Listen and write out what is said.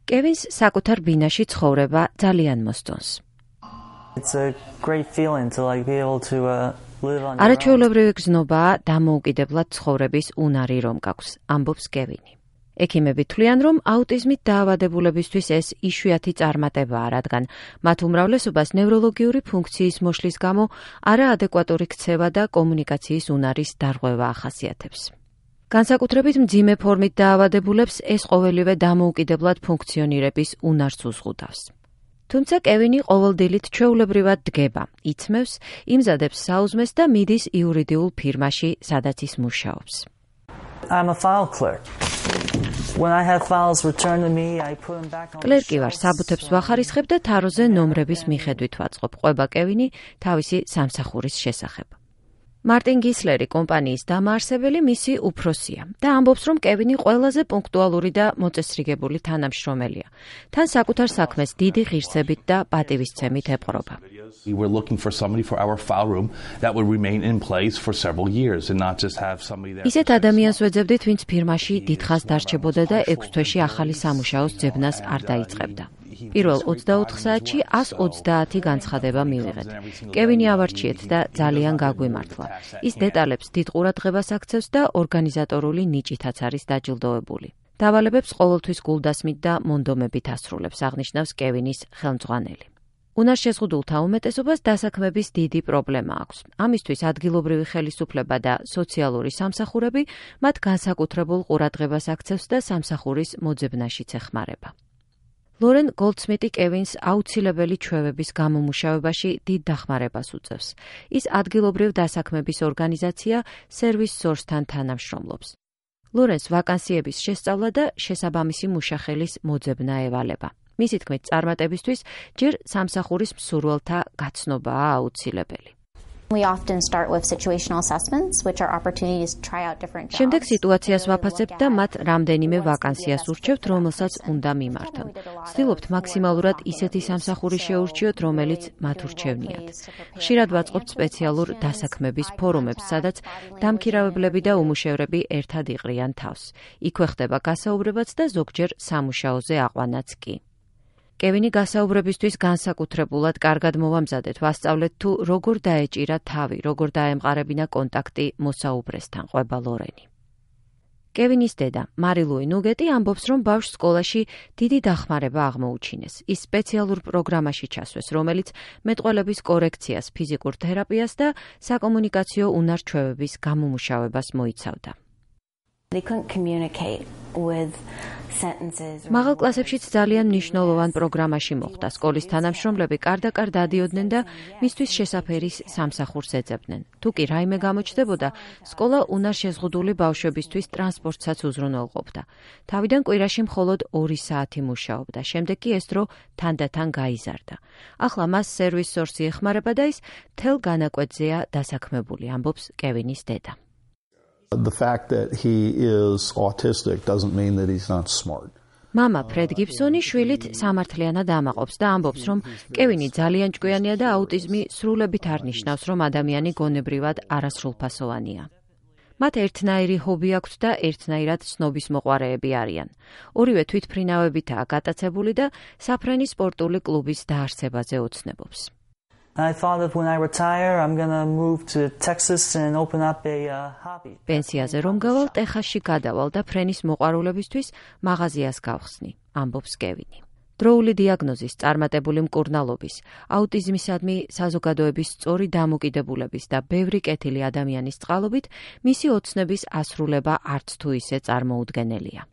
კევინს საკუთარ ბინაში ცხოვრება ძალიან მოსწონს. It's a great feeling to be able to live on your own. არაჩვეულებრივი გზნობაა დამოუკიდებლად ცხოვრების უნარი რომ გაქვს, ამბობს კევინი. ექიმები თვლიან, რომ აუტიზმით დაავადებულებისთვის ეს იშვიათი წარმატებაა, რადგან მათ უმრავლესობას ნევროლოგიური ფუნქციის მოშლის გამო არაადეკვატური ქცევა და კომუნიკაციის უნარის დარღვევა ახასიათებს. განსაკუთრებით მძიმე ფორმით დაავადებულებს ეს ყოველივე დამოუკიდებლად ფუნქციონირების უნარს უზღუდავს. თუმცა კევინი ყოველდილით ჩვეულებრივად დგება, იცმევს, იმზადებს საუზმეს და მიდის იურიდიულ ფირმაში, სადაც ის მუშაობს. I'm a file clerk. When I have files returned to me, I put them back on. კლერკი ვარ, საბუთებს ვახარისხებ და თაროზე ნომრების მიხედვით ვაწყობ, ყვება კევინი თავისი სამსახურის შესახებ. მარტინ გისლერი კომპანიის დამაარსებელი მისი უფროსია და ამბობს, რომ კევინი ყველაზე პუნქტუალური და მოწესრიგებული თანამშრომელია. თან საკუთარ საქმეს დიდი ღირსებით და პატივისცემით ეპყრობა. We were looking for somebody for our file room that would remain in place for several years and not just have somebody there. ისეთ ადამიანს ვეძებდით, ვინც ფირმაში დიდხანს დარჩებოდა და 6 თვეში ახალი სამუშაოს ძებნას არ დაიწყებდა. პირველ 24 საათში 130 განცხადება მივიღეთ. კევინი ავარჩიეთ და ძალიან გაგვიმართლა. ის დეტალებს დიდ ყურადღებას აქცევს და ორგანიზატორული ნიჭითაც არის დაჯილდოებული. დავალებებს ყოველთვის გულდასმით და მონდომებით ასრულებს, აღნიშნავს კევინის ხელმძღვანელი. უნარშეზღუდულთა უმეტესობას დასაქმების დიდი პრობლემა აქვს. ამისთვის ადგილობრივი ხელისუფლება და სოციალური სამსახურები მათ განსაკუთრებულ ყურადღებას აქცევს და სამსახურის მოძებნაშიც ეხმარება. ლორენ გოლდსმიტი კევინს აუცილებელი ჩვევების გამომუშავებაში დიდ დახმარებას უწევს. ის ადგილობრივ დასაქმების ორგანიზაცია Service Source-თან თანამშრომლობს. ლორენს ვაკანსიების შესწავლა და შესაბამისი მუშახელის მოძებნა ევალება. მისი თქმით, წარმატებისთვის ჯერ სამსახურის მსურველთა გაცნობაა აუცილებელი. We often start with situational assessments, which are opportunities to try out different jobs. შემდეგ სიტუაციას ვაფასებთ და მათ რამდენიმე ვაკანსიას ურჩევთ, რომელსაც უნდა მიმართონ. ვცდილობთ მაქსიმალურად ისეთი სამსახური შეურჩიოთ, რომელიც მათ ურჩევნიათ. ხშირად ვაწყობთ სპეციალურ დასაქმების ფორუმებს, სადაც დამქირავებლები და უმუშევრები ერთად იყრიან თავს. იქვე ხდება გასაუბრებაც და ზოგჯერ სამუშაოზე აყვანაც კი. კევინი გასაუბრებისთვის განსაკუთრებულად კარგად მოვამზადეთ, ვასწავლეთ თუ როგორ დაეჭირა თავი, როგორ დაემყარებინა კონტაქტი მოსაუბრესთან, ყვება ლორენი. კევინის დედა, მარი ლუი ნუგეტი ამბობს, რომ ბავშვს სკოლაში დიდი დახმარება აღმოუჩინეს. ის სპეციალურ პროგრამაში ჩასვეს, რომელიც მეტყველების კორექციას, ფიზიკურ თერაპიას და საკომუნიკაციო უნარ-ჩვევების გამომუშავებას მოიცავდა. They couldn't communicate with sentences. მაღალ კლასებშიც ძალიან მნიშვნელოვან პროგრამაში მოხვდა. სკოლის თანამშრომლები კარდაკარ დადიოდნენ და მისთვის შესაფერის სამსახურს ეძებდნენ. თუ კი რაიმე გამოჩნდებოდა, სკოლა უნარშეზღუდული ბავშვებისთვის ტრანსპორტსაც უზრუნველყოფდა. თავიდან კვირაში მხოლოდ 2 საათი მუშაობდა. შემდეგ კი ეს დრო თანდათან გაიზარდა. ახლა მას Service Source ეხმარება და ის მთელ განაკვეთზეა დასაქმებული, ამბობს კევინის დედა. The fact that he is autistic doesn't mean that he's not smart. მამა ფრედ გიბსონი შვილით სამართლიანად ამაყობს და ამბობს, რომ კევინი ძალიან ჭკვიანია და აუტიზმი სრულებით არ ნიშნავს, რომ ადამიანი გონებრივად არასრულფასოვანია. მათ ერთნაირი ჰობი აქვთ და ერთნაირად ცნობის მოყვარეები არიან. ორივე თვითფრინავებითაა გატაცებული და საფრენი სპორტული კლუბის დაარსებაზე ოცნებობს. I thought that when I retire, I'm going to move to Texas and open up a hobby. პენსიაზე რომ გავალ, ტეხასში გადავალ და ფრენის მოყვარულებისთვის მაღაზიას გავხსნი, ამბობს კევინი. დროული დიაგნოზის, წარმატებული მკურნალობის, აუტიზმისადმი საზოგადოების სწორი დამოკიდებულების და ბევრი კეთილი ადამიანის წყალობით მისი ოცნების ასრულება არც თუ ისე წარმოუდგენელია.